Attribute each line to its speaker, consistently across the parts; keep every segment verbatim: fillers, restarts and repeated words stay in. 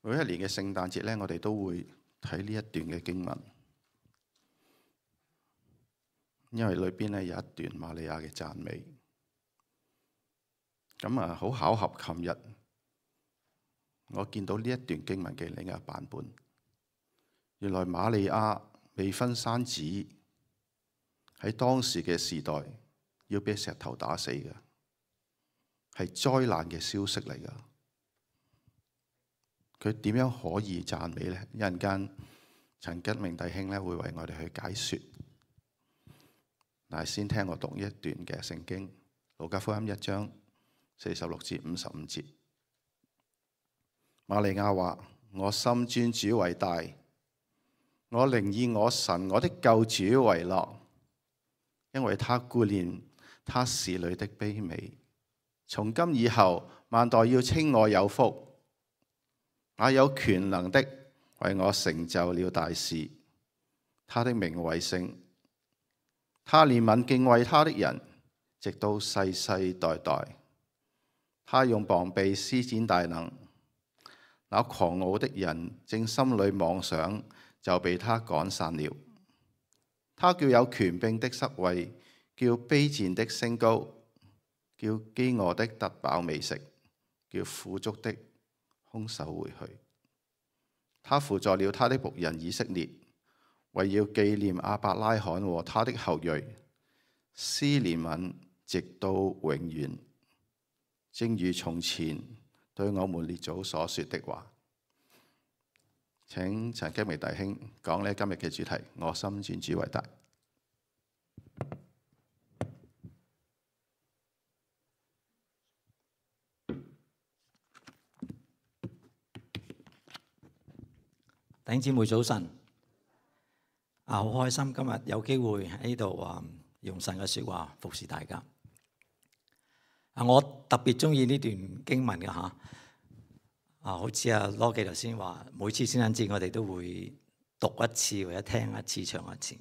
Speaker 1: 每一年嘅聖誕節咧，我哋都會睇呢一段嘅經文，因為裏邊咧有一段瑪利亞嘅讚美。咁啊，好巧合，琴日我見到呢一段經文嘅另一個版本，原來瑪利亞未婚生子喺當時嘅時代要俾石頭打死嘅，係災難嘅消息嚟噶。佢點樣可以讚美呢？一陣間陳吉明弟兄咧會為我哋去解說。但係先聽我讀一段嘅聖經，路加福音一章四十六至五十五節。瑪利亞話：我心尊主為大，我靈以我神我的救主為樂，因為他顧念他使女的卑微。從今以後，萬代要稱我有福。那有權能的為我成就了大事，他的名為聖。他憐憫敬畏他的人，直到世世代代。他用膀臂施展大能，那狂傲的人正心裏妄想，就被他趕散了。他叫有權柄的失位，叫卑賤的升高，叫飢餓的得飽美食，叫富足的空手回去。他扶助了他的僕人以色列，為要紀念亞伯拉罕和他的後裔，施憐憫直到永遠，正如從前對我們列祖所說的話。請陳基明弟兄講呢今日嘅主題：我心尊主為大。
Speaker 2: 弟兄姊妹早晨，啊好開心今日有機會喺呢度啊用神嘅說話服侍大家。啊，我特別中意呢段經文嘅吓，啊好似阿羅記頭先話，每次聖誕節我哋都會讀一次或者聽一次唱一次。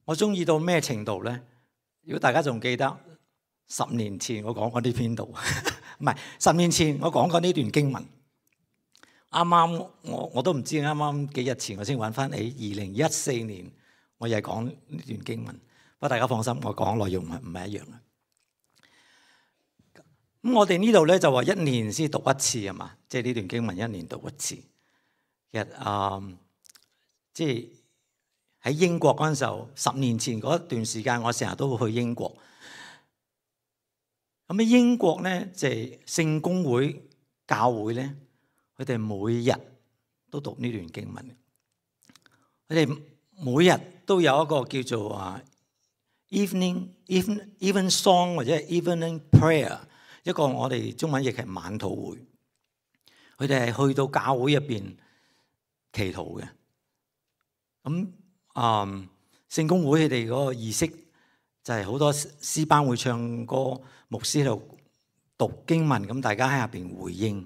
Speaker 2: 我中意到咩程度咧？如果大家仲記得十年前我講過呢篇道，唔係十年前我講過呢段經文。啱啱我我都唔知，啱啱幾日前我先揾翻起二零一四年，我又係講呢段經文。不過大家放心，我講內容唔係唔係一樣嘅。咁我哋呢度咧就話一年先讀一次啊嘛，即係呢段經文一年讀一次。其實啊，即係喺英國嗰陣時候，十年前嗰段時間，我成日都會去英國。咁喺英國咧，即係聖公會教會咧。佢哋每日都讀呢段經文，佢哋每日都有一個叫做啊 evening even even song 或者 evening prayer， 一個我哋中文譯係晚禱會。佢哋係去到教會入邊祈禱嘅。咁啊，聖公會佢哋嗰個儀式就係好多詩班會唱歌，牧師喺度讀經文，咁大家喺下邊回應。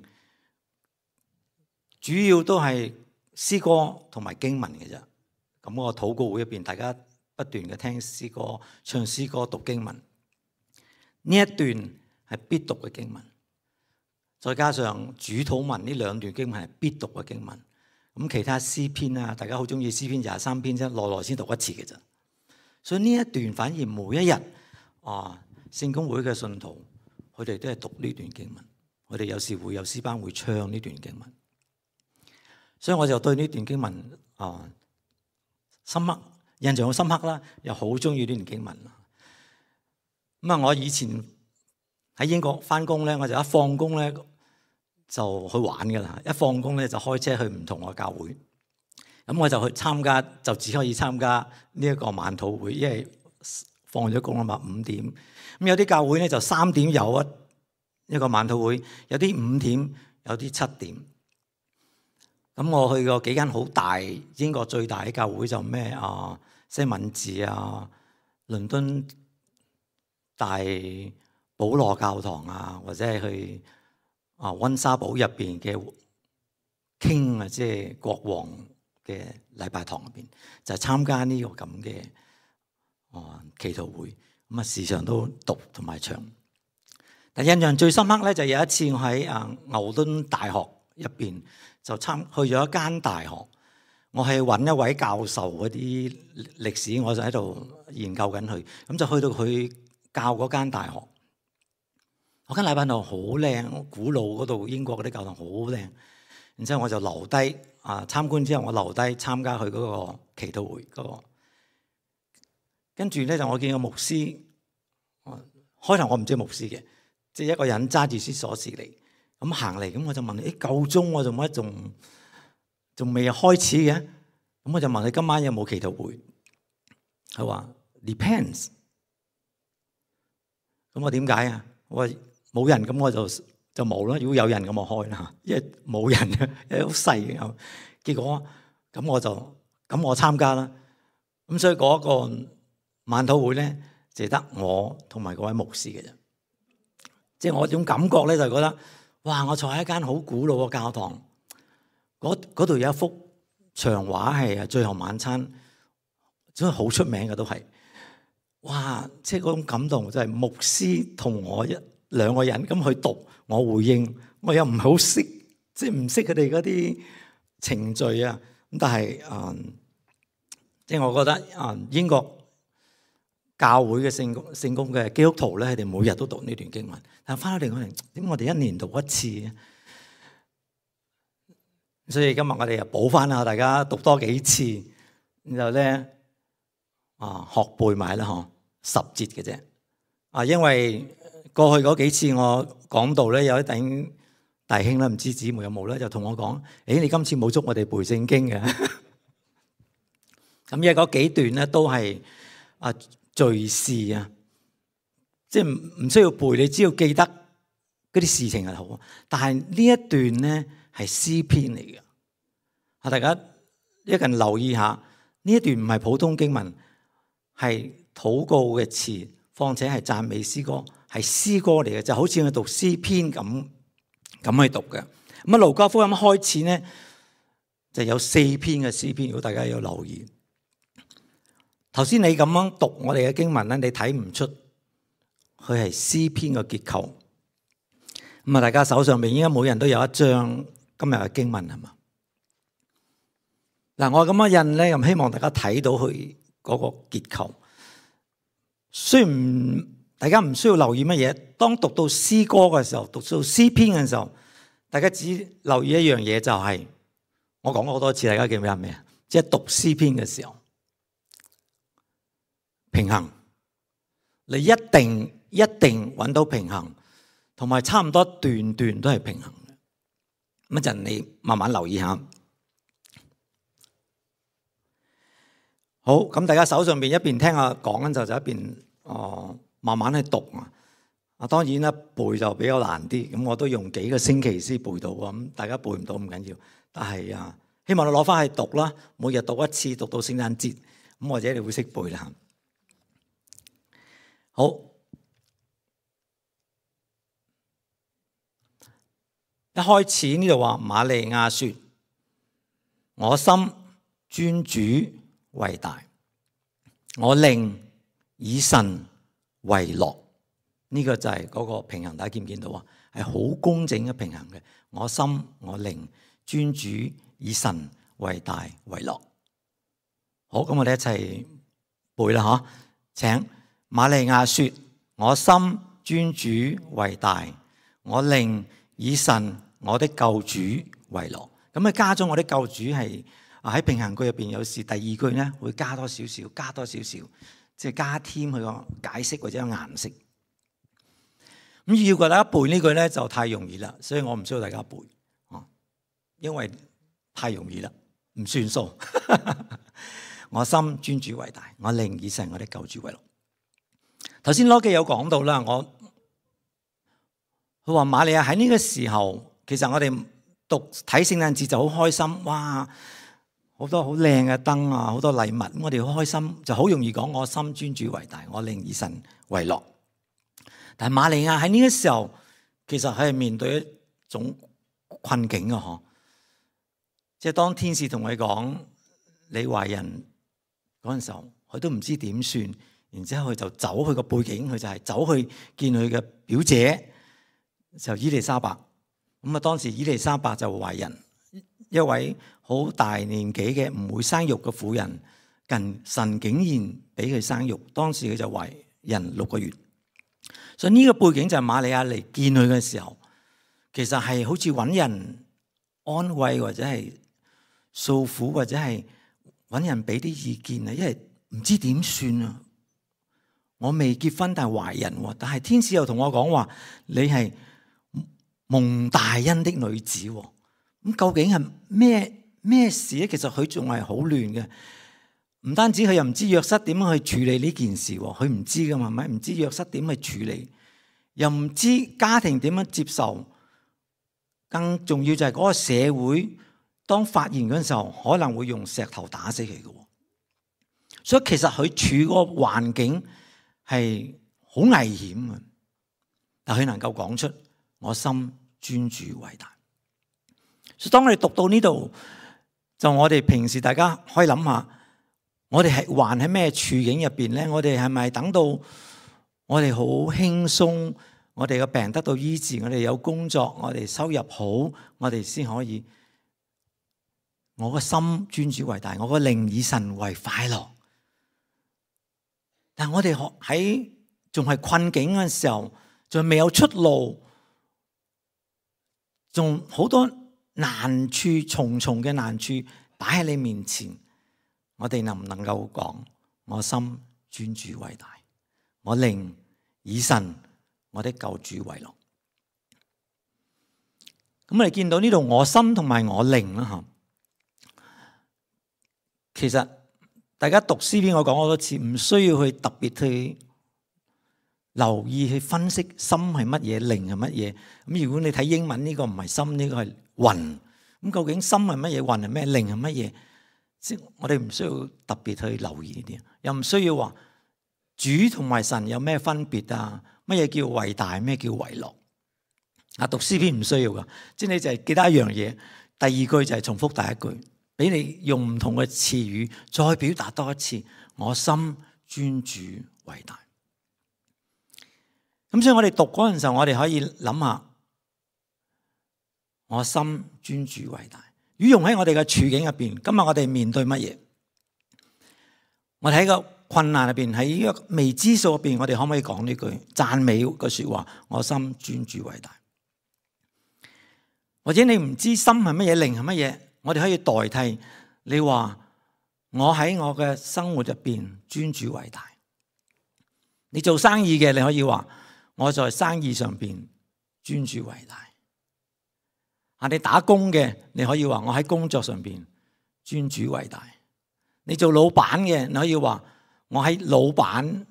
Speaker 2: 主要都係詩歌同埋經文嘅啫。咁個禱告會入邊，大家不斷嘅聽詩歌、唱詩歌、讀經文。呢一段係必讀嘅經文，再加上主禱文呢兩段經文係必讀嘅經文。咁其他詩篇啊，大家好中意詩篇廿三篇啫，耐耐先讀一次嘅啫。所以呢一段反而每一日啊，聖公會嘅信徒佢哋都係讀呢段經文。佢哋有時會有詩班會唱呢段經文。所以我就對呢段經文啊深刻印象好深刻啦，又好中意呢段經文。咁啊，我以前喺英國翻工咧，我就一放工咧就去玩噶啦，一放工咧就開車去唔同嘅教會。咁我就去參加，就只可以參加呢一個晚禱會，因為放咗工啊嘛，五點。咁有啲教會咧就三點有一一個晚禱會，有啲五點，有啲七點。咁我去過幾間好大，英國最大嘅教會就咩啊西敏寺啊、倫敦大保羅教堂啊，或者係去啊溫莎堡入邊嘅 King 啊，即係國王嘅禮拜堂入邊，就係參加呢個咁嘅啊祈禱會。咁啊時常都讀同埋唱。但印象最深刻咧，就有一次我喺啊牛頓大學入邊就參去咗一間大學，我係揾一位教授嗰啲歷史，我就喺度研究緊佢，咁就去到佢教嗰間大學。嗰間禮拜堂好靚，古老嗰度英國嗰啲教堂好靚。然之後我就留低啊參觀之後，我留低參加佢嗰個祈禱會嗰個。跟住咧就我見個牧師，開頭我唔知牧師嘅，即係一個人揸住支鎖匙嚟咁行嚟，咁我就問你：誒夠鐘我做乜仲仲未開始嘅？咁我就問你今晚有冇祈禱會？佢話 depends。咁我點解啊？我話冇人，咁我就就冇啦。如果有人咁我開啦，因為冇人，因為好細嘅。結果咁我就咁我參加啦。咁所以嗰個晚禱會咧，就得我同埋嗰位牧師嘅啫。即係我種感覺咧，就覺得哇！我坐喺一間好古老嘅教堂，嗰度有一幅牆畫係啊，最後晚餐，真係好出名嘅都係。哇！即係嗰種感動就係牧師同我一兩個人咁去讀，我回應，我又唔係好識，即係唔識佢哋嗰啲程序啊。咁但係嗯，即係我覺得嗯英國教會嘅聖公聖公嘅基督徒咧，佢哋每日都讀呢段經文。但係翻到嚟我哋點解我哋一年讀一次嘅？所以今日我哋又補翻下，大家讀多幾次，然後咧啊學背埋啦嗬，十節嘅啫。啊，因為過去嗰幾次我講到咧，有一頂弟兄咧，唔知姊妹有冇咧，就同我講：誒，你今次冇捉我哋背聖經嘅。咁因為嗰幾段咧都係啊敘事啊，即係唔唔需要背，你只要記得嗰啲事情係好。但係呢一段咧係詩篇嚟嘅。啊，大家一陣留意下，呢一段唔係普通經文，係禱告嘅詞，況且係讚美詩歌，係詩歌嚟嘅，就好似我讀詩篇咁咁去讀嘅。咁啊，路加福音開始咧就有四篇嘅詩篇，如果大家有留意。頭先你咁樣讀我哋嘅經文咧，你睇唔出佢係詩篇嘅結構。咁啊，大家手上面應該每人都有一張今日嘅經文係嘛？嗱，我咁樣印咧，咁希望大家睇到佢嗰個結構。雖然大家唔需要留意乜嘢，當讀到詩歌嘅時候，讀到詩篇嘅時候，大家只留意一樣嘢，就係我講過好多次，大家記唔記得咩啊？即係讀詩篇嘅時候，平衡，你一定一定揾到平衡，同埋差唔多段段都係平衡嘅。咁一陣你慢慢留意下。好，咁大家手上邊一邊聽下講緊就就一邊哦慢慢去讀啊。啊，當然啦，背就比較難啲，咁我都用幾個星期先背到啊。咁大家背唔到唔緊要，但係啊，希望你攞翻去讀啦，每日讀一次，讀到聖誕節，咁或者你會識背啦。好，一開始呢度話瑪利亞說：我心尊主為大，我靈以神為樂。呢、這個就係嗰個平衡，大家見唔見到啊？係好工整嘅平衡嘅。我心我靈尊主以神為大為樂。好，咁我哋一齊背啦吓，請瑪利亞說：我心尊主為大，我靈以神我的救主為樂。咁啊加咗我的救主係。喺平衡句入邊，有時第二句咧會加多少少，加多少少，即係加添佢個解釋或者個顏色。咁要大家背呢句咧就太容易啦，所以我唔需要大家背，哦，因為太容易啦，唔算數。我心尊主為大，我靈以神我的救主為樂。頭先羅記有講到啦，我佢話瑪利亞喺呢個時候，其實我哋讀睇聖誕節就好開心，哇！好多好靚嘅燈啊，好多禮物，咁我哋好開心，就好容易講我心尊主為大，我靈以神為樂。但係瑪利亞喺呢個時候，其實佢係面對一種困境啊！嗬，即係當天使同佢講你懷孕嗰陣時候，佢都唔知點算，然之後佢就走去個背景，佢就係走去見佢嘅表姐，就伊麗莎白。咁啊，當時伊麗莎白就懷孕，一位好大年紀嘅唔會生育嘅婦人，近神竟然俾佢生育，當時佢就懷孕六個月。所以呢個背景就係瑪利亞嚟見佢嘅時候，其實係好似揾人安慰或者係訴苦或者係揾人俾啲意見啊，因為唔知點算啊！我未結婚但係懷孕，但係天使又同我講話，你係蒙大恩的女子。咁究竟係咩咩事咧？其實佢仲係好亂嘅，唔單止佢又唔知約瑟點樣去處理呢件事，佢唔知噶嘛，咪唔知約瑟點去處理，又唔知家庭點樣接受，更重要就係嗰個社會當發現嗰陣時候，可能會用石頭打死佢嘅。所以其實佢處嗰個環境係好危險嘅，但佢能夠講出我心尊主偉大。所以當我哋讀到呢度，就我哋平時大家可以諗下，我哋係還喺咩處境入邊咧？我哋係咪等到我哋好輕鬆，我哋嘅病得到醫治，我哋有工作，我哋收入好，我哋先可以我個心尊主偉大，我個靈以神為快樂？但我哋喺仲係困境嘅時候，仲未有出路，仲好多難處，重重嘅難處擺喺你面前，我哋能唔能夠講我心尊主偉大，我靈以神我的救主為樂？咁我哋見到呢度我心同埋我靈啦吓，其實大家讀詩篇我講好多次，唔需要去特別去留意去分析心係乜嘢，靈係乜嘢。咁如果你睇英文，呢個唔係心，呢個係魂。咁究竟心係乜嘢，魂係咩，靈係乜嘢？即我哋唔需要特別去留意呢啲，又唔需要話主同埋神有咩分別啊？乜嘢叫偉大，咩叫為樂？啊，讀詩篇唔需要噶，即係你就係記得一樣嘢，第二句就係重複第一句，俾你用唔同嘅詞語再表達多一次，我心尊主偉大。咁所以我哋讀嗰陣時候，我哋可以諗下，我心尊主偉大。如果用喺我哋嘅處境入邊，今日我哋面對乜嘢？我哋喺個困難入邊，喺呢個未知數入邊，我哋可唔可以講呢句讚美嘅說話？我心尊主偉大。或者你唔知心係乜嘢，靈係乜嘢？我哋可以代替你話，我喺我嘅生活入邊尊主偉大。你做生意嘅，你可以話我在生意上邊尊主偉大。啊，你打工嘅，你可以話我喺工作上邊尊主偉大。你做老闆嘅，你可以話我喺老闆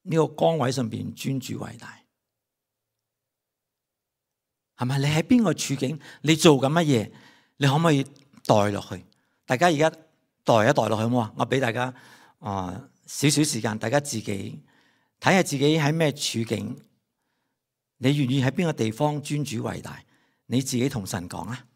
Speaker 2: 呢個崗位上邊尊主偉大。係咪？你喺邊個處境？你做緊乜嘢？你可唔可以代落去？大家而家代一代落去好唔好啊？我俾大家啊少少時間，大家自己睇下自己喺咩處境，你願意喺邊個地方尊主偉大？你自己同神講啊！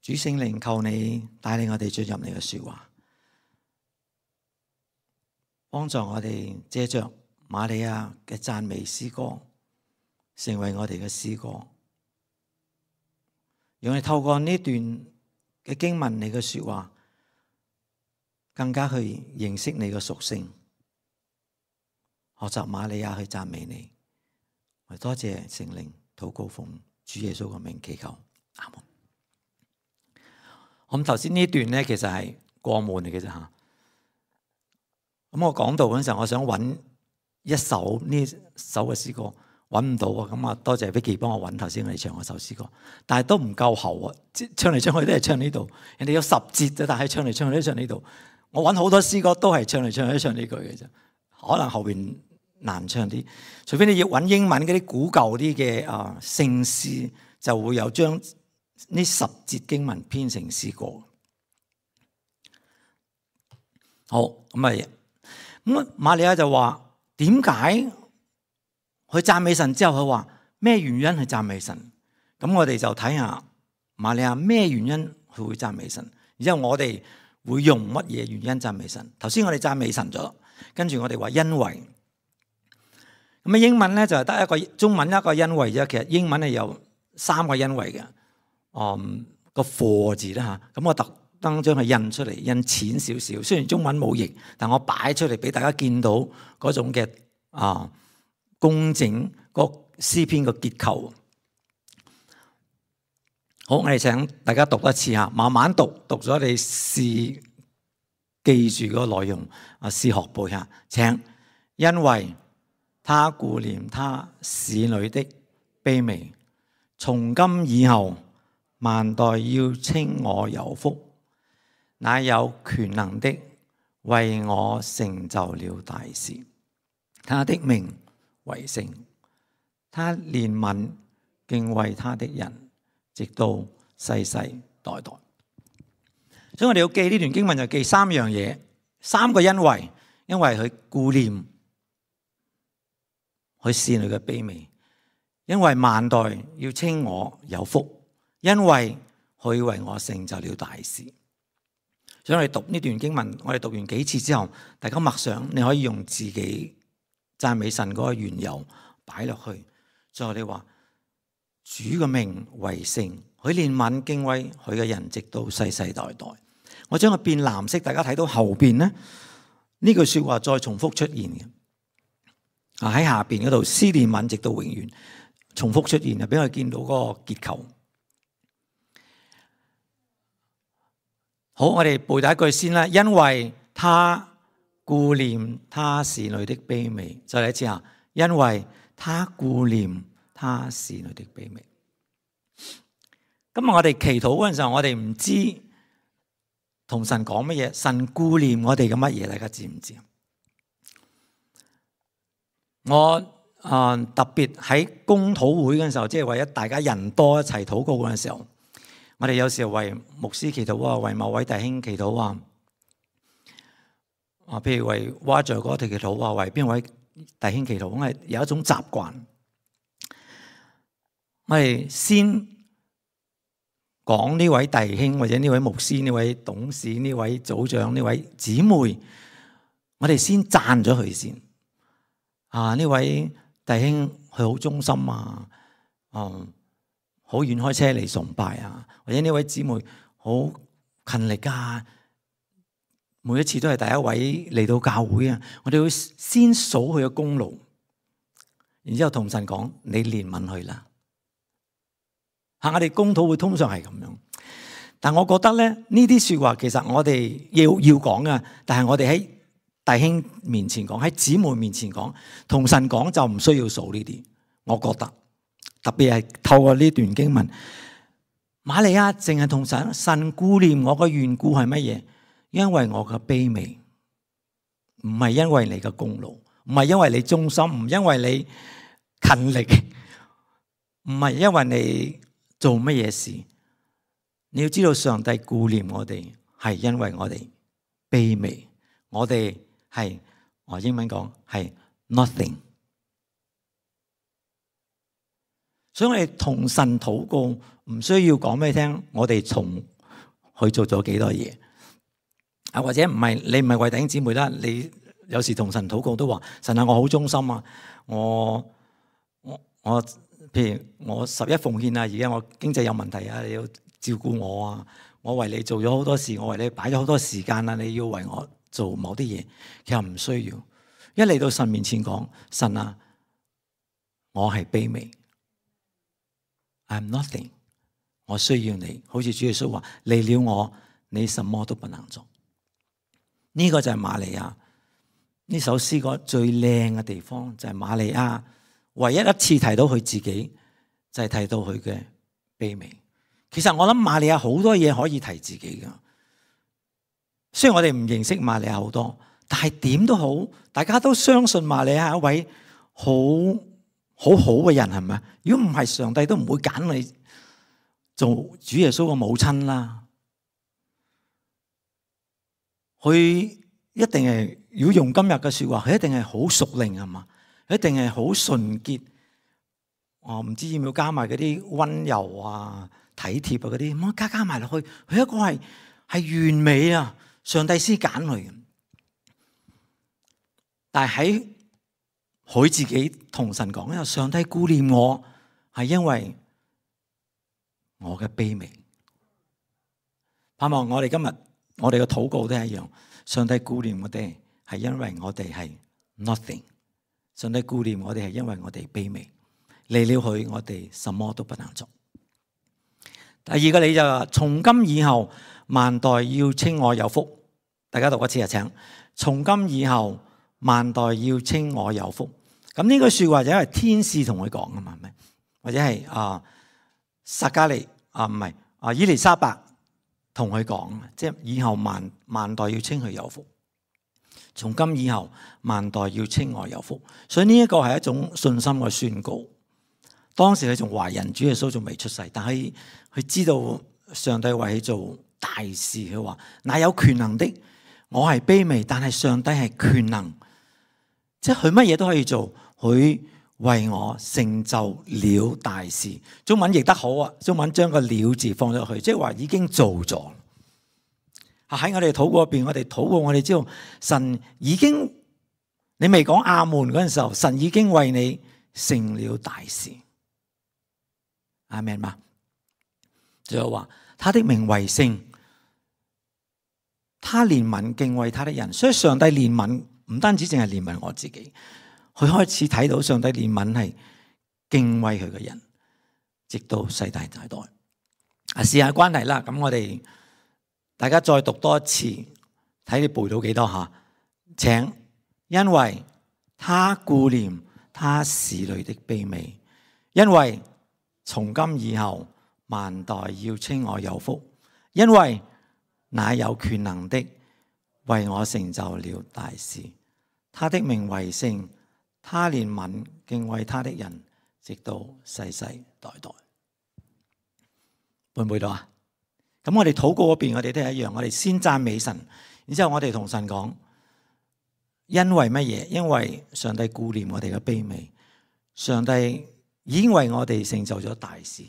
Speaker 2: 主聖靈，求你帶領我哋進入你嘅說話，幫助我哋借着瑪利亞嘅讚美詩歌，成為我哋嘅詩歌。讓我哋透過呢段嘅經文，你嘅說話，更加去認識你嘅屬性，學習瑪利亞去讚美你。我多謝聖靈，禱告奉主耶穌嘅名祈求，阿門。咁頭先呢段咧，其實係過門嚟嘅啫吓。咁我講到嗰陣時候，我想揾一首呢首嘅詩歌，揾唔到啊。咁啊，多謝 Vicky 幫我揾頭先我哋唱嗰首詩歌，但係都唔夠喉啊！唱嚟唱去都係唱呢度。人哋有十節啫，但係唱嚟唱去都唱呢度。我揾好多詩歌都係唱嚟唱去都唱呢句嘅啫。可能後邊難唱啲，除非你要揾英文嗰啲古舊啲嘅啊聖詩，就會有將呢十節經文編成詩歌。好，咁啊，咁瑪利亞就話點解佢讚美神之後，佢話咩原因去讚美神？咁我哋就睇下瑪利亞咩原因佢會讚美神，然之後我哋會用乜嘢原因讚美神？頭先我哋讚美神咗，跟住我哋話因為。咁啊英文咧就係得一個，中文一個因為啫，其實英文係有三個因為嘅。嗯，個 for 字啦嚇，咁我特登將佢印出嚟，印淺少少。雖然中文冇譯，但我擺出嚟俾大家見到嗰種嘅啊工整個詩篇個結構。好，我哋請大家讀一次嚇，慢慢讀，讀咗你試記住嗰個內容啊，試學背下。請，因為他顧念他使女的卑微，從今以後萬代要稱我有福。那有權能的為我成就了大事，他的名為聖，他憐憫敬畏他的人，直到世世代代。所以我哋要記呢段經文就記三樣嘢，三個因為，因為佢顧念佢使女嘅卑微，因為萬代要稱我有福，因為佢為我成就了大事。所以我哋讀呢段經文，我哋讀完幾次之後，大家默想，你可以用自己讚美神嗰個緣由擺落去。最後你話主嘅名為聖，佢憐憫敬畏佢嘅人，直到世世代代。我將佢變藍色，大家睇到後邊呢，呢句說話再重複出現嘅。啊喺下邊嗰度，施憐憫直到永遠，重複出現啊，俾我見到嗰個結構。好，我哋背第一句先啦。因為他顧念他使女的卑微，再嚟一次啊。因為他顧念他使女的卑微。今日我哋祈禱嗰陣時候，我哋唔知同神講乜嘢，神顧念我哋嘅乜嘢，大家知唔知啊？我啊、呃、特別喺公禱會嗰陣時候，即係為咗大家人多一齊禱告嗰陣時候，我哋有時候為牧師祈禱啊，為某位弟兄祈禱啊，啊，譬如為挖著嗰條祈禱啊，為邊位弟兄祈禱，我係有一種習慣，我哋先講呢位弟兄或者呢位牧師、呢位董事、呢位組長、呢位姊妹，我哋先讚咗佢先。啊！呢位弟兄佢好忠心啊，嗯，好遠開車嚟崇拜啊，或者呢位姊妹好勤力啊，每一次都係第一位嚟到教會啊。我哋會先數佢嘅功勞，然之後同神講：你憐憫佢啦。嚇！我哋公禱會通常係咁樣，但我覺得咧，呢啲説話其實我哋要要講噶，但係我哋喺弟兄面前講，喺姊妹面前講，同神講就唔需要數呢啲。我覺得特別係透過呢段經文，瑪利亞淨係同神神顧念我嘅緣故係乜嘢？因為我嘅卑微，唔係因為你嘅功勞，唔係因為你忠心，唔因為你勤力，唔係因為你做乜嘢事。你要知道，上帝顧念我哋係因為我哋卑微，我哋。係，我英文講係 nothing， 所以我哋同神禱告唔需要講俾你聽，我哋從去做咗幾多嘢啊？或者唔係你唔係為弟兄姊妹啦，你有時同神禱告都話：神啊，我好忠心啊，我我我，譬如我十一奉獻啊，而家我經濟有問題啊，你要照顧我啊，我為你做咗好多事，我為你擺咗好多時間啊，你要為我做某啲嘢，其實唔需要。一嚟到神面前講：神啊，我係卑微 ，I'm nothing， 我需要你。好似主耶穌話：離了我，你什麼都不能做。呢、這個就係瑪利亞呢首詩歌最靚嘅地方，就係、是、瑪利亞唯一一次提到佢自己，就係、是、提到佢嘅卑微。其實我諗瑪利亞好多嘢可以提自己噶。雖然我哋唔認識瑪利亞好多，但係點都好，大家都相信瑪利亞係一位好好好嘅人，係咪？如果唔係，上帝都唔會揀你做主耶穌嘅母親啦。佢一定係，如果用今日嘅說話，佢一定係好屬靈，係嘛？佢一定係好純潔。哦唔知要唔要加埋嗰啲溫柔啊、體貼啊嗰啲，咁加加埋落去，佢一個係係完美啊！上帝先揀佢嘅。但係喺佢自己同神講咧，上帝顧念我係因為我嘅卑微。盼望我哋今日我哋嘅禱告都係一樣，上帝顧念我哋係因為我哋係 nothing， 上帝顧念我哋係因為我哋卑微，離了佢我哋什麼都不能做。第二個理就係從今以後萬代要稱我有福。大家讀一次啊，請。從今以後萬代要稱我有福。咁呢句說話就因為天使同佢講啊嘛，係咪？或者係啊撒加利啊唔係啊伊麗莎白同佢講，即係以後萬萬代要稱佢有福。從今以後萬代要稱我有福。所以呢一個係一種信心嘅宣告。當時佢仲懷孕，主耶穌仲未出世，但係佢知道上帝為佢做大事。佢話：那有權能的，我係卑微，但係上帝係權能，即係佢乜嘢都可以做。佢為我成就了大事。中文譯得好啊！中文將個了字放咗去，即係話已經做咗。喺我哋禱告入邊，我哋禱告，我哋知道神已經，你未講阿門嗰陣時候，神已經為你成了大事。阿們嘛，最後話他的名為聖，他憐憫敬畏他的人。所以上帝憐憫唔單止淨係憐憫我自己，佢開始睇到上帝憐憫係敬畏佢嘅人，直到世代代代。啊，試下關係啦，咁我哋大家再讀多一次，睇你背到幾多下。請，因為他顧念他使女的卑微，因為從今以後萬代要稱我有福，因為那有權能的為我成就了大事，他的名為聖，他憐憫敬畏他的人，直到世世代代。背唔背到啊？咁我哋禱告嗰邊，我哋都係一樣，我哋先讚美神，然之後我哋同神講，因為乜嘢？因為上帝顧念我哋嘅卑微，上帝已經為我哋成就咗大事，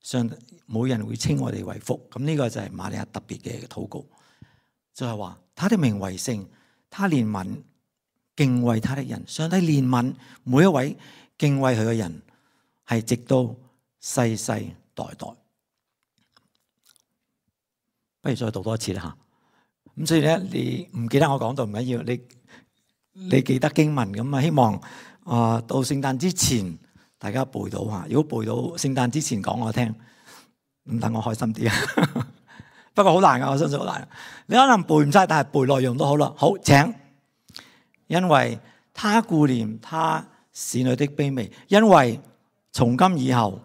Speaker 2: 上帝冇人會稱我哋為福。咁呢個就係瑪利亞特別嘅禱告，就係話他的名為聖，他憐憫敬畏他的人。上帝憐憫每一位敬畏佢嘅人，係直到世世代代。不如再讀多一次啦吓。咁所以咧，你唔記得我講到唔緊要，你你記得經文咁啊。希望啊到聖誕之前大家背到吓。如果背到聖誕之前講我聽，咁等我開心啲啊。不過好難噶，我相信好難。你可能背唔晒，但係背內容都好啦。好，請。因為他顧念他使女的卑微，因為從今以後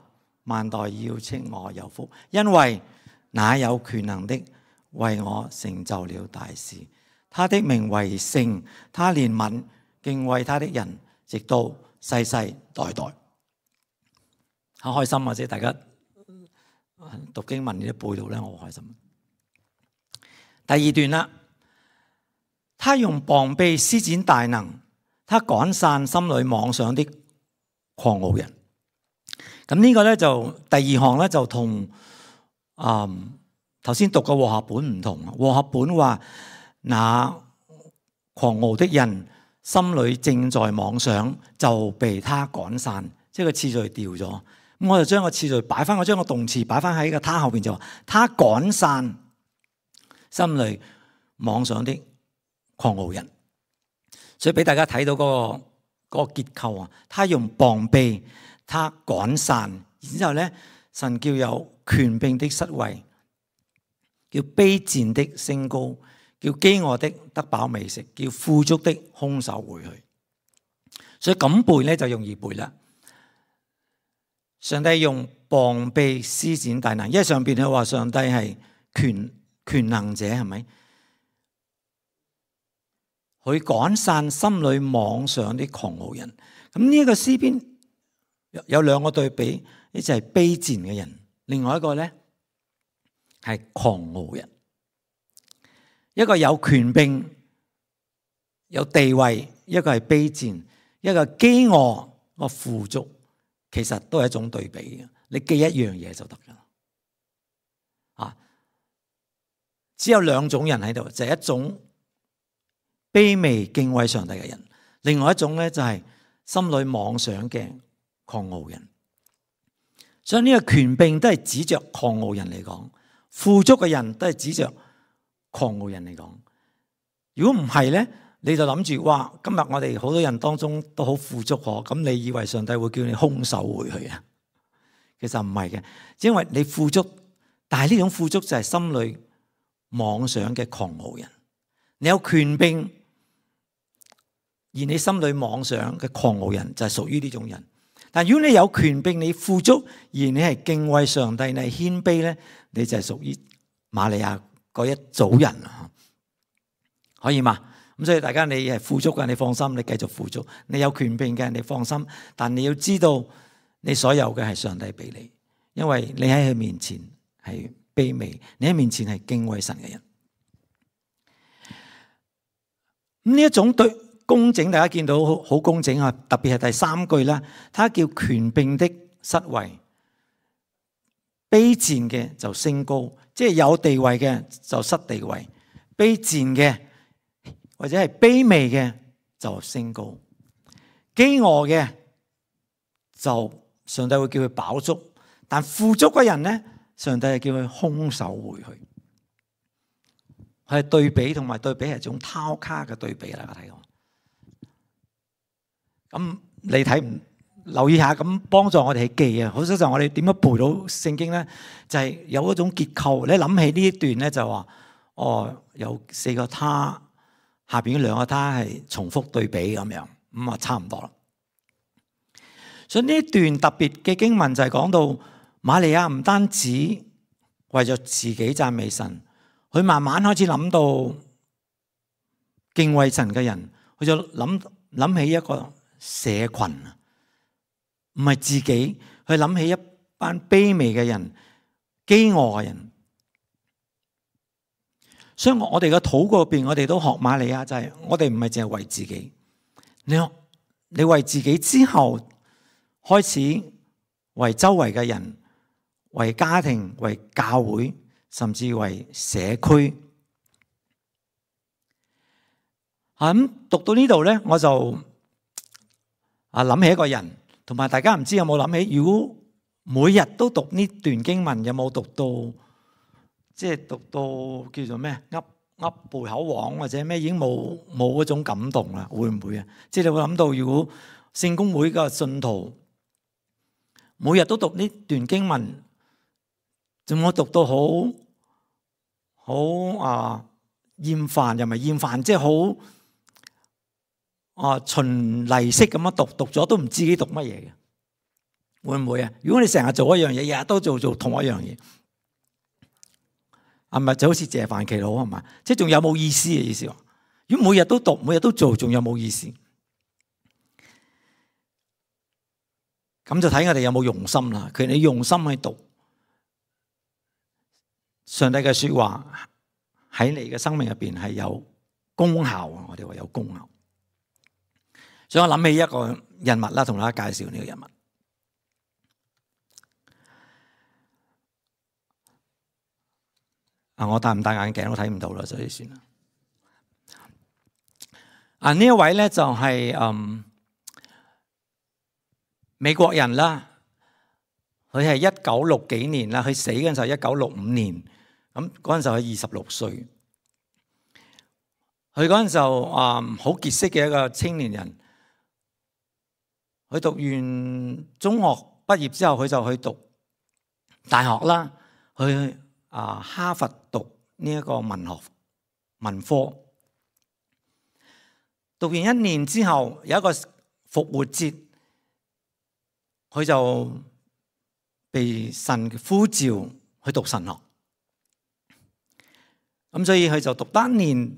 Speaker 2: 萬代要稱我有福，因為那有權能的為我成就了大事，他的名為聖，他憐憫敬畏他的人，直到世世代代。好開心啊！即係大家讀經文呢啲背到咧，我好開心。第二段啦，他用膀臂施展大能，他趕散心裏妄想的狂傲人。咁呢個咧就第二項咧就同嗯頭先讀嘅和合本唔同。和合本話那狂傲的人心裏正在妄想，就被他趕散，即係個次序掉咗。咁我就將個次序擺翻，我將個動詞擺翻喺個他後邊，就話他趕散心裏妄想的狂傲人。所以俾大家睇到嗰個嗰個結構啊，他用膀臂，他趕散，然之後咧，神叫有權柄的失位，叫卑賤的升高，叫飢餓的得飽美食，叫富足的空手回去。所以咁背咧就容易背啦。上帝用膀臂施展大能，因為上邊佢話上帝係權權能者，係咪？佢趕散心裏妄想的狂傲人。咁呢一個詩篇有兩個對比，一就係卑賤嘅人，另外一個咧係狂傲人。一個有權柄、有地位，一個係卑賤，一個飢餓，一個富足，其實都係一種對比嘅。你記一樣嘢就得㗎啦。啊，只有兩種人喺度，就係一種卑微敬畏上帝嘅人，另外一種咧就係心裏妄想嘅狂傲人。所以呢個權柄都係指着狂傲人嚟講，富足嘅人都係指着狂傲人嚟講。如果唔係咧，你就諗住哇，今日我哋好多人當中都好富足嗬，咁你以為上帝會叫你空手回去啊？其實唔係嘅，因為你富足，但係呢種富足就係心裏妄想嘅狂傲人。你有權柄，而你心裏妄想嘅狂傲人就係屬於呢種人。但如果你有權柄，你富足，而你係敬畏上帝，你係謙卑咧，你就係屬於瑪利亞嗰一組人啊，可以嘛？咁所以大家你係富足嘅，你放心，你繼續富足；你有權柄嘅，你放心。但你要知道，你所有嘅係上帝俾你，因為你喺佢面前係卑微，你喺面前係敬畏神嘅人。咁呢一種對工整，大家見到好好工整啊！特別係第三句啦，他叫權柄的失位，卑賤嘅就升高，即係有地位嘅就失地位，卑賤嘅或者係卑微嘅就升高，飢餓嘅就上帝會叫佢飽足，但富足嘅人咧，上帝係叫佢空手回去。係對比，同埋對比係一種交叉嘅對比啦，大家睇到。咁你睇唔留意下，咁幫助我哋去記啊！好多時候我哋點樣背到聖經咧？就係、是、有一種結構。你諗起呢一段咧，就話哦，有四個他，下邊兩個他係重複對比咁樣，咁啊差唔多啦。所以呢一段特別嘅經文就係講到瑪利亞唔單止為咗自己讚美神，佢慢慢開始諗到敬畏神嘅人，佢就諗諗起一個社群啊，唔係自己，佢諗起一班卑微嘅人、飢餓嘅人。所以我哋嘅禱告入邊，我哋都學瑪利亞，就係我哋唔係淨係為自己，你你為自己之後，開始為周圍嘅人、為家庭、為教會，甚至為社區。咁讀到呢度咧，我就啊諗起一個人，同埋大家唔知有冇諗起，如果每日都讀呢段經文，有冇讀到即係讀到叫做咩噏噏背口簧或者咩，已經冇冇嗰種感動啦？會唔會啊？即係你會諗到，如果聖公會嘅信徒每日都讀呢段經文，仲我讀到好好啊厭煩，又唔係厭煩，即係好啊循例式咁樣讀，讀咗都唔知自己讀乜嘢嘅，會唔會啊？如果你成日做一樣嘢，日日都做做同一樣嘢，係咪就好似謝飯祈禱係嘛？即係仲有冇意思嘅意思？如果每日都讀，每日都做，仲有冇意思？咁就睇我哋有冇用心啦。佢哋用心去讀上帝嘅說話，喺你嘅生命入邊係有功效啊！我哋話有功效。所以我諗起一個人物啦，同大家介紹呢個人物。啊，我戴唔戴眼鏡都睇唔到啦，所以算啦。啊，呢一位咧就係、是、嗯。美國人啦，佢係一九六幾年啦，佢死嗰陣時候一九六五年，咁嗰陣時候佢二十六歲。佢嗰陣時候啊，好傑出嘅一個青年人。佢讀完中學畢業之後，佢就去讀大學啦，去啊哈佛讀呢一個文學文科。讀完一年之後，有一個復活節。佢就被神呼召去讀神學，咁所以佢就讀單年，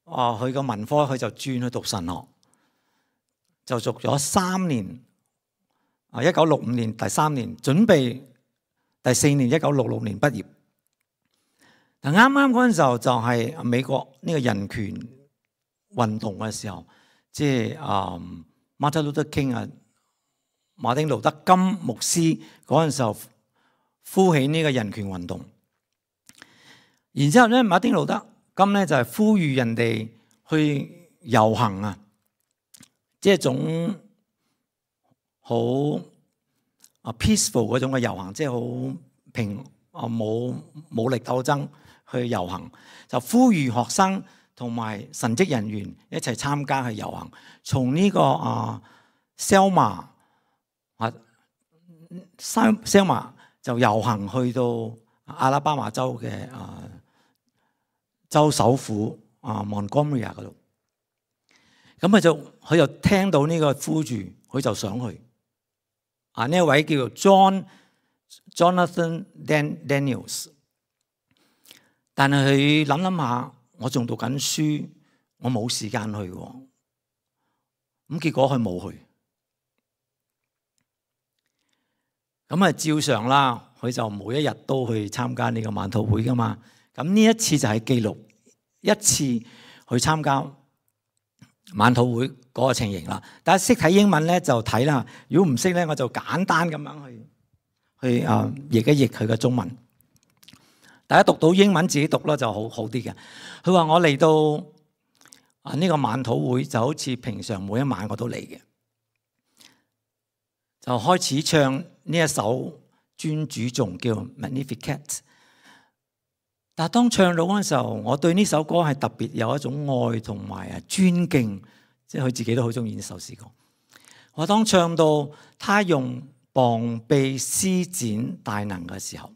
Speaker 2: 啊，佢個文科佢就轉去讀神學，就讀咗三年，啊，一九六五年第三年，準備第四年一九六六年畢業。但啱啱嗰陣時候就係美國呢個人權運動嘅時候，即係啊 Martin Luther King 啊。馬丁路德金牧師嗰陣時候呼起呢個人權運動，然之後咧馬丁路德金咧就係呼籲人哋去遊行啊，即係一種好啊 peaceful 嗰種嘅遊行，即係好平啊冇武力鬥爭去遊行，就呼籲學生同埋神職人員一齊參加去遊行，從呢個啊 Selma 啊 Selma 就遊行去到阿拉巴馬州嘅啊州首府啊 Montgomery 嗰度，咁佢就佢就聽到呢個呼籲，佢就想去。啊呢一位叫做 John Jonathan Daniels， 但係佢諗諗下，我仲讀緊書，我冇時間去喎，咁結果佢冇去。咁啊，照常啦，佢就每一日都去參加呢個晚禱會噶嘛。咁呢一次就係記錄一次去參加晚禱會嗰個情形啦。大家識睇英文咧就睇啦，如果唔識咧，我就簡單咁樣去去啊譯一譯佢嘅中文。大家讀到英文自己讀啦就好好啲嘅。佢話我嚟到啊呢個晚禱會就好似平常每一晚我都嚟嘅，就開始唱呢一首尊主頌叫 Magnificat。但係當唱到嗰陣時候，我對呢首歌係特別有一種愛同埋啊尊敬，即係佢自己都好中意呢首詩歌。我當唱到他用膀臂施展大能嘅時候，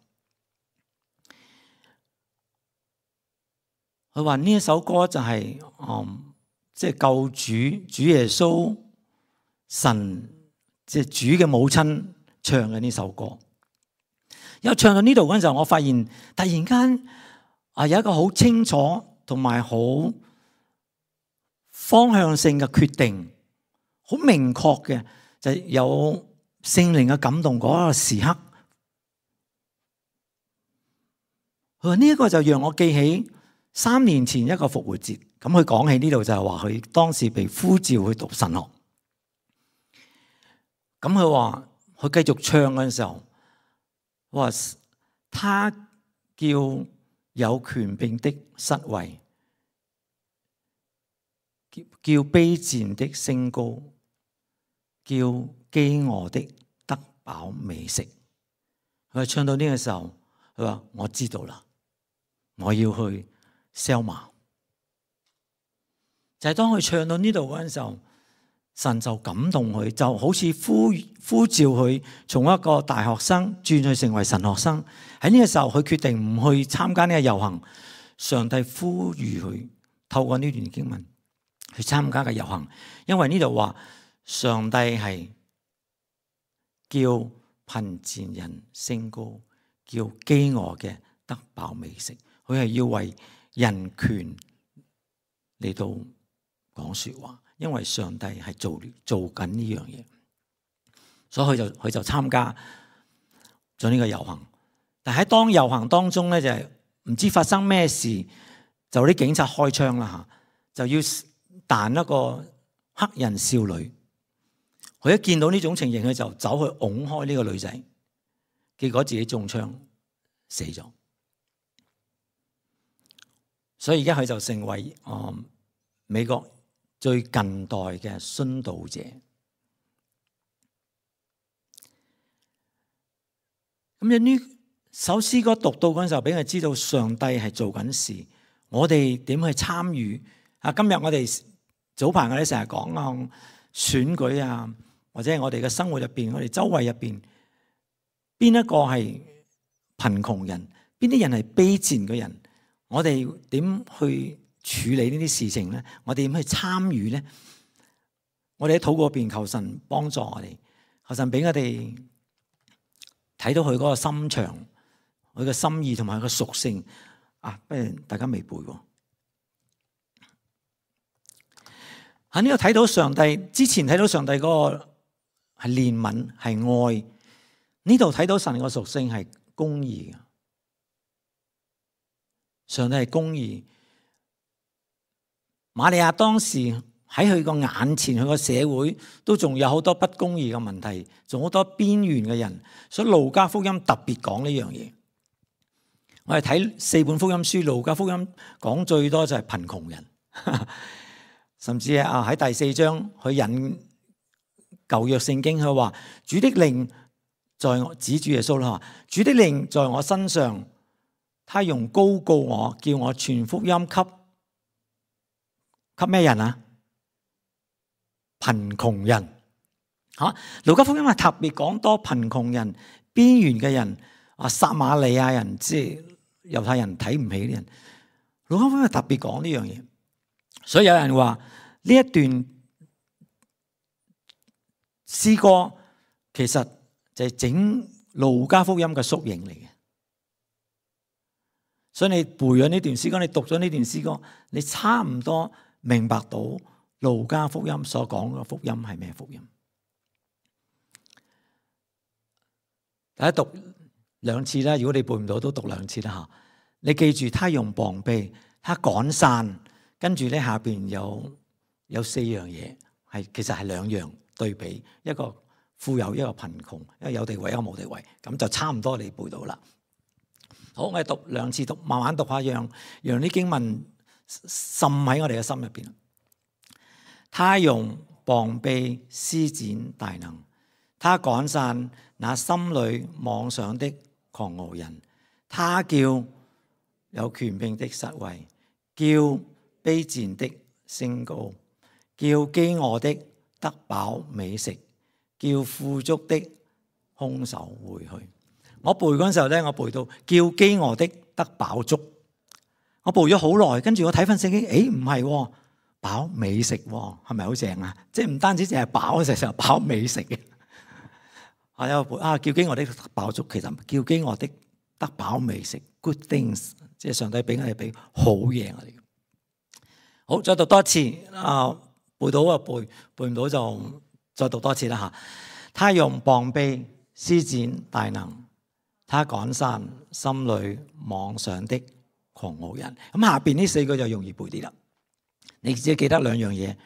Speaker 2: 佢話呢一首歌就係、是、嗯即係救主主耶穌神即係、就是、主嘅母親唱嘅呢首歌。因唱到呢度嗰陣時候，我發現突然間啊有一個好清楚同埋好方向性嘅決定，好明確嘅，就有聖靈嘅感動嗰個時刻。佢話呢一個就讓我記起三年前一個復活節。咁佢講起呢度就係話佢當時被呼召去讀神學。咁佢話佢繼續唱嗰陣時候，話他叫有權柄的失位，叫叫卑賤的升高，叫飢餓的得飽美食。佢話唱到呢個時候，佢話我知道啦，我要去 Selma。就係當佢唱到呢度嗰陣時候，神就感動佢，就好似呼呼召佢從一個大學生轉去成為神學生。喺呢個時候，佢決定唔去參加呢個遊行。上帝呼籲佢透過呢段經文去參加嘅遊行，因為呢度話上帝係叫貧賤人升高，叫飢餓嘅得飽美食。佢係要為人權嚟到講說話，因為上帝係做做緊呢樣嘢，所以佢就佢就參加咗呢個遊行。但喺當遊行當中咧，就係唔知發生咩事，就啲警察開槍啦吓，就要彈一個黑人少女。佢一見到呢種情形，佢就走去擁開呢個女仔，結果自己中槍死咗。所以而家佢就成為誒美國最近代嘅殉道者。咁樣呢首詩歌讀到嗰陣時候，俾佢知道上帝係做緊事，我哋點去參與啊？今日我哋早排我哋成日講啊選舉啊，或者係我哋嘅生活入邊，我哋周圍入邊，邊一個係貧窮人，邊啲人係卑賤嘅人，我哋點去處理呢啲事情咧？我哋點去參與咧？我哋喺禱告入邊求神幫助我哋，求神俾我哋睇到佢嗰個心腸、佢嘅心意同埋佢嘅屬性啊！不如大家未背喎。喺呢度睇到上帝，之前睇到上帝嗰個係憐憫、係愛，呢度睇到神個屬性係公義嘅。上帝係公義。瑪利亞當時喺佢個眼前，佢個社會都仲有好多不公義嘅問題，仲好多邊緣嘅人，所以路加福音特別講呢樣嘢。我哋睇四本福音書，路加福音講最多就係貧窮人，甚至啊喺第四章佢引舊約聖經，佢話主的靈在我，指主耶穌啦，主的靈在我身上，他用膏膏我，叫我傳福音給給咩人啊？貧窮人嚇，路加福音係特別講多貧窮人、邊緣嘅人啊，撒瑪利亞人，即係猶太人睇唔起啲人。路加福音係特別講呢樣嘢，所以有人話呢一段詩歌其實就係整路加福音嘅縮影嚟嘅。所以你背咗呢段詩歌，你讀咗呢段詩歌，你差唔多明白到路加福音所講嘅福音係咩福音？大家讀兩次啦，如果你背唔到都讀兩次啦嚇。你記住，他用膀臂，他趕散，跟住咧下邊有有四樣嘢，係其實係兩樣對比，一個富有，一個貧窮，一個有地位，一個冇地位，咁就差唔多你背到啦。好，我哋讀兩次，讀慢慢讀下，讓讓啲經文滲喺我哋嘅心入邊。他用膀臂施展大能，他趕散那心裏妄想的狂傲人，他叫有權柄的失位，叫卑賤的升高，叫飢餓的得飽美食，叫富足的空手回去。我背嗰陣時候咧，我背到叫飢餓的得飽足，我背咗好耐，跟住我睇翻聖經，誒唔係喎。飽美食喎，係咪好正啊？即係唔單止淨係飽，成日飽美食嘅。係有啊，叫飢餓的得飽足，其實叫飢餓的得飽美食 ，good things， 即係上帝俾我哋俾好嘢我哋。好，再讀多一次啊！背到啊背，背唔到就再讀多次啦嚇。他用膀臂施展大能，他趕散心裏妄想的狂傲人。咁下邊呢四個就容易背啲啦。你只記得兩樣嘢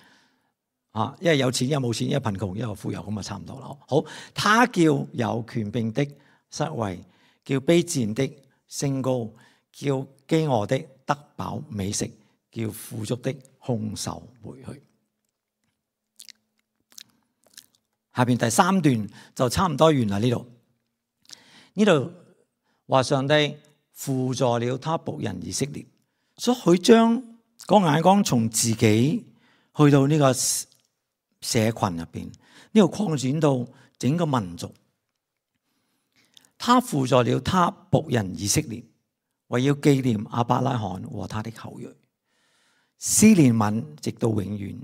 Speaker 2: 啊，一係有錢，一係冇錢，一係貧窮，一係富有，咁啊差唔多啦。好，他叫有權柄的失位，叫卑賤的升高，叫飢餓的得飽美食，叫富足的空手回去。下邊第三段就差唔多完啦。呢度呢度話上帝輔助了他僕人以色列，所以佢將個眼光從自己去到呢個社群入邊，呢個擴展到整個民族。他輔助了他僕人以色列，為要紀念亞伯拉罕和他的後裔，施憐憫直到永遠。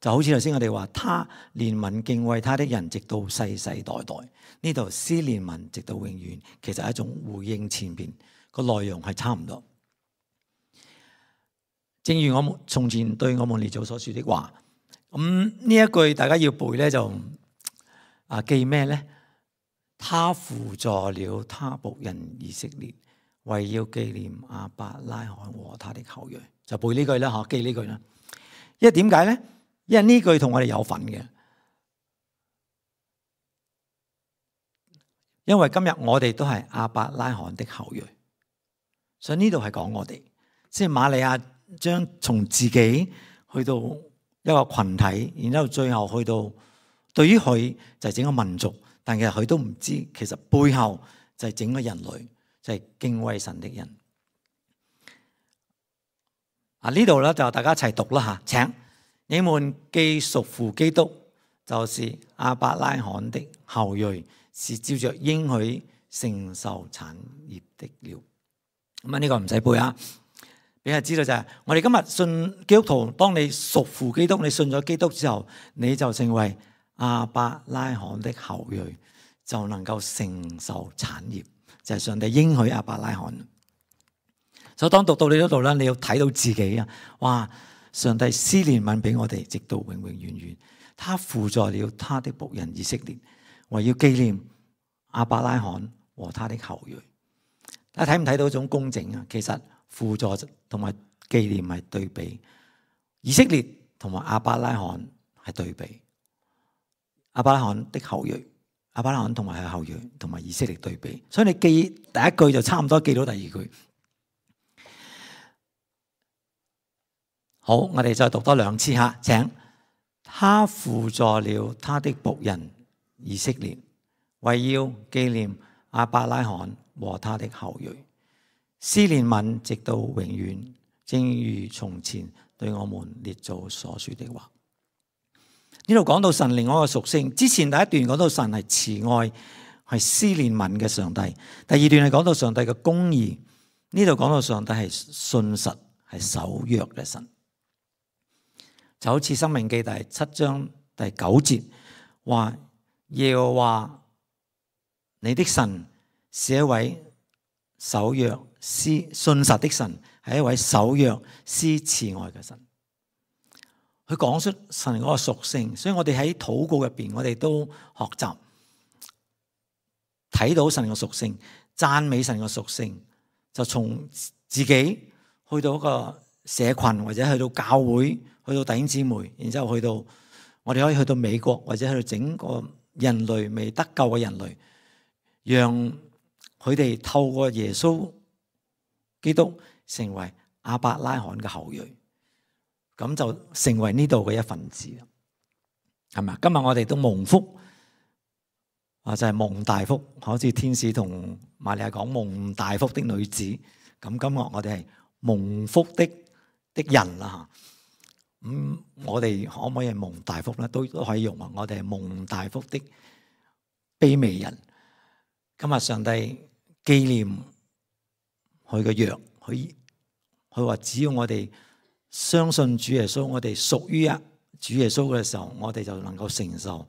Speaker 2: 就好似頭先我哋話，他憐憫敬畏他的人，直到世世代代。呢度施憐憫直到永遠，其實係一種回應前邊個內容係差唔多。正如我們從前對我們列祖所說的話，咁呢一句大家要背咧，就啊記咩咧？他輔助了他僕人以色列，為要紀念亞伯拉罕和他的後裔，就背呢句啦，吓記呢句啦。因為點解咧？因為呢句同我哋有份嘅，因為今日我哋都係亞伯拉罕的後裔，所以呢度係講我哋，即係瑪利亞將從自己去到一個群體，然之後最後去到對於佢就係整個民族，但其實佢都唔知，其實背後就係整個人類，就係敬畏神的人。啊，呢度咧就大家一齊讀啦吓，請你們既屬乎基督，就是亞伯拉罕的後裔，是照着應許承受產業的了。咁啊，呢個唔使背啊。俾人知道就係，我哋今日信基督徒，當你屬乎基督，你信咗基督之後，你就成為亞伯拉罕的後裔，就能夠承受產業，就係上帝應許亞伯拉罕。所以當讀到你嗰度咧，你要睇到自己啊！哇，上帝施憐憫俾我哋，直到永永遠遠。他輔助了他的僕人以色列，為要紀念亞伯拉罕和他的後裔。大家睇唔睇到一種公正啊？其實輔助同埋紀念係對比，以色列同埋亞伯拉罕係對比。亞伯拉罕的後裔，亞伯拉罕同埋佢後裔同埋以色列對比，所以你記第一句就差唔多記到第二句。好，我哋再讀多兩次吓，請。他輔助了他的僕人以色列，為要紀念亞伯拉罕和他的後裔，施憐憫直到永遠，正如從前對我們列祖所說的話。呢度講到神另外一個屬性，之前第一段講到神係慈愛，係施憐憫嘅上帝，第二段係講到上帝嘅公義，呢度講到上帝係信實，係守約嘅神。就好似申命記第七章第九節話，耶和華你的神是一位守約施信實的神，係一位守約施慈愛嘅神。佢講出神嗰個屬性，所以我哋喺禱告入邊，我哋都學習睇到神嘅屬性，讚美神嘅屬性，就從自己去到一個社群，或者去到教會，去到弟兄姊妹，然之後去到我哋可以去到美國，或者去到整個人類未得救嘅人類，讓佢哋透過耶穌基督成為亞伯拉罕嘅後裔，咁就成為呢度嘅一份子，係咪？今日我哋都蒙福啊，就係蒙大福，好似天使同瑪利亞講蒙大福的女子，咁今日我哋係蒙福的的人啦吓。咁、嗯、我哋可唔可以係蒙大福咧？都都可以用啊！我哋係蒙大福的卑微人。今日上帝紀念佢嘅約，佢佢話只要我哋相信主耶穌，我哋屬於啊主耶穌嘅時候，我哋就能夠承受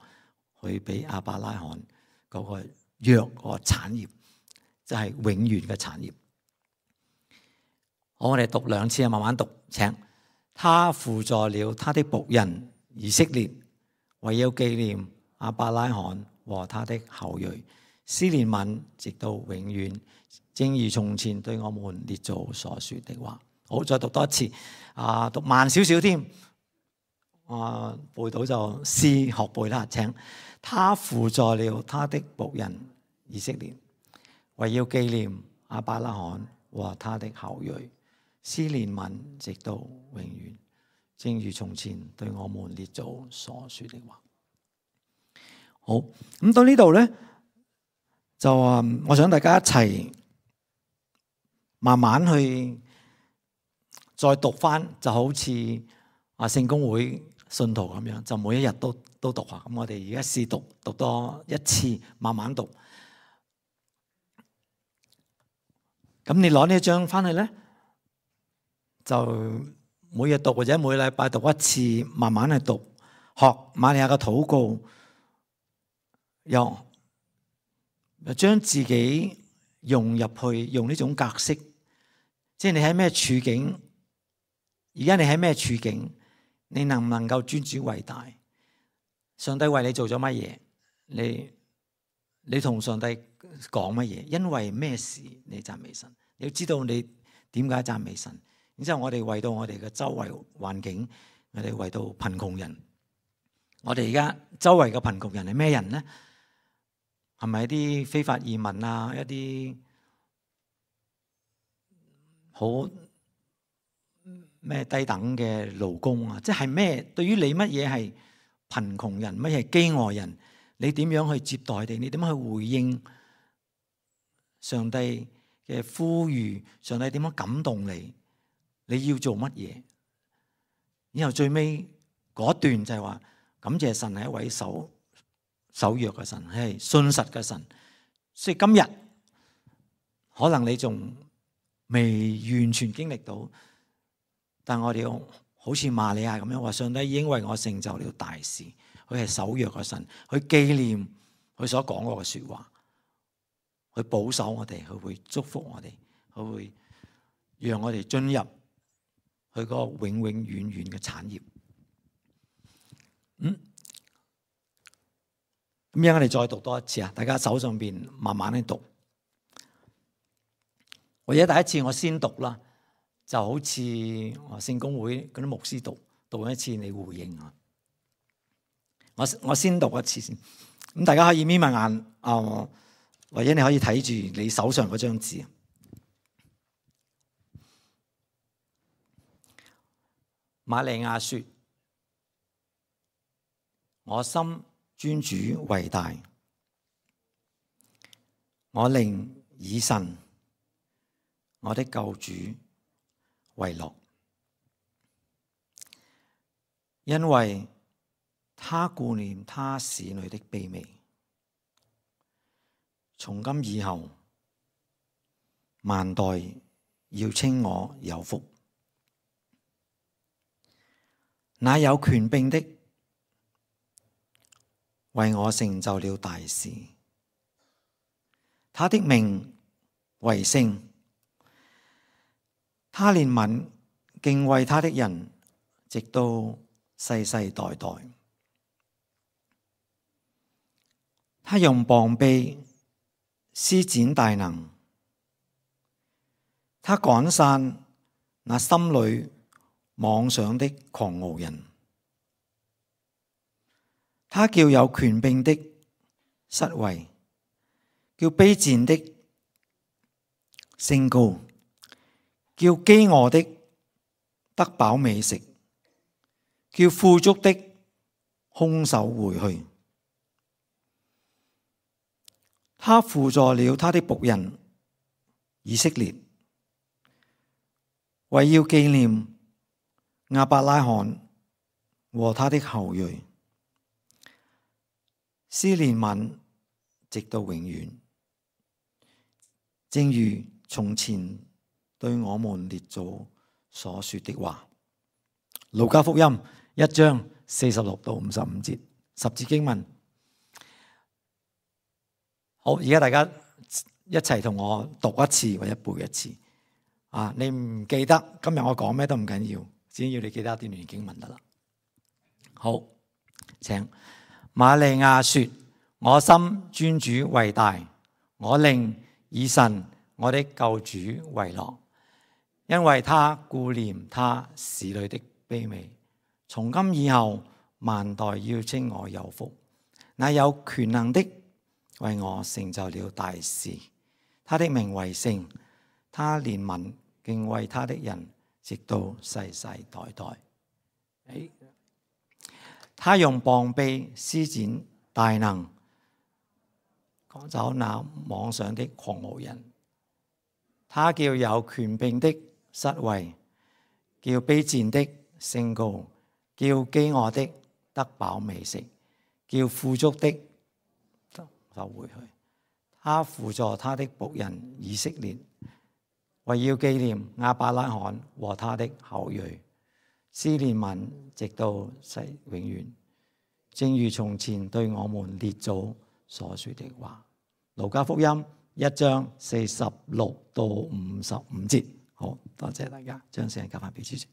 Speaker 2: 佢俾亞伯拉罕嗰個約嗰個產業，就係、是、永遠嘅產業。好，我哋讀兩次啊，慢慢讀，請。他輔助了他的僕人以色列，為要紀念亞伯拉罕和他的後裔，施憐憫直到永遠，正如從前對我們列祖所說的話。好，再讀多一次，啊，讀慢少少添，啊，背到就試學背啦。請。他輔助了他的僕人以色列，為要紀念亞伯拉罕和他的後裔，施憐憫直到永遠，正如從前對我們列祖所說的話。好，咁到呢度咧，就啊，我想大家一齊慢慢去再讀翻，就好似啊聖公會信徒咁樣，就每一日都都讀下。咁我哋而家試讀讀多一次，慢慢讀。咁你攞呢一張翻去咧，就每日讀或者每禮拜讀一次，慢慢去讀，學瑪利亞嘅禱告，又又將自己融入去，用呢種格式，即係你喺咩處境，而家你喺咩處境，你能唔能夠尊主為大？上帝為你做咗乜嘢？你你同上帝講乜嘢？因為咩事你讚美神？你要知道你點解讚美神？然之後我哋為到我哋嘅周圍環境，我哋為到貧窮人，我哋而家周圍嘅貧窮人係咩人呢？係咪一啲非法移民啊？一啲好咩低等嘅勞工啊？即係咩？對於你乜嘢係貧窮人，乜嘢係飢餓人？你點樣去接待佢哋？你點樣去回應上帝嘅呼籲？上帝點樣感動你？你要做乜嘢？然後最尾嗰段就係話，感謝神係一位守守約嘅神，係信實嘅神。所以今日可能你仲未完全經歷到，但我哋要好似瑪利亞咁樣話，上帝已經為我成就了大事。佢係守約嘅神，佢紀念佢所講過嘅說話，佢保守我哋，佢會祝福我哋，佢會讓我哋進入佢個永永遠遠嘅產業。嗯，咁樣我哋再讀多一次啊！大家手上邊慢慢去讀。或者第一次我先讀啦，就好似聖公會嗰啲牧師讀，讀一次你回應啊。我我先讀一次先，咁大家可以眯埋眼啊、呃，或者你可以睇住你手上嗰張紙。瑪利亞說：我心尊主為大，我靈以神我的救主為樂，因為他顧念他使女的卑微。從今以後，萬代要稱我有福。那有權柄的為我成就了大事，他的名為聖，他憐憫敬畏他的人，直到世世代代。他用膀臂施展大能，他趕散那心裏妄想的狂傲人，他叫有權柄的失位，叫卑賤的升高，叫飢餓的得飽美食，叫富足的空手回去。他扶助了他的僕人以色列，為要紀念亞伯拉罕和他的後裔，施憐憫直到永遠，正如從前對我們列祖所說的話。路加福音一章四十六到五十五節，十節經文。好，而家大家一齊同我讀一次或者背一次。啊，你唔記得今日我講咩都唔緊要，只要你記得一段經文得啦。好，請。瑪利亞說：我心尊主為大，我靈以神我的救主為樂，因為他顧念他使女的卑微。從今以後，萬代要稱我有福。那有權能的為我成就了大事，他的名為聖，他憐憫敬畏他的人，直到世世代代。哎，他用膀臂施展大能，趕走那妄想的狂傲人。他叫有權柄的失位，叫卑賤的升高，叫飢餓的得飽美食，叫富足的就回去。他扶助他的僕人以色列，為要紀念亞伯拉罕和他的後裔，施憐憫直到世永遠，正如從前對我們列祖所說的話。路加福音一章四十六到五十五節。好多謝大家，將時間交翻俾主席。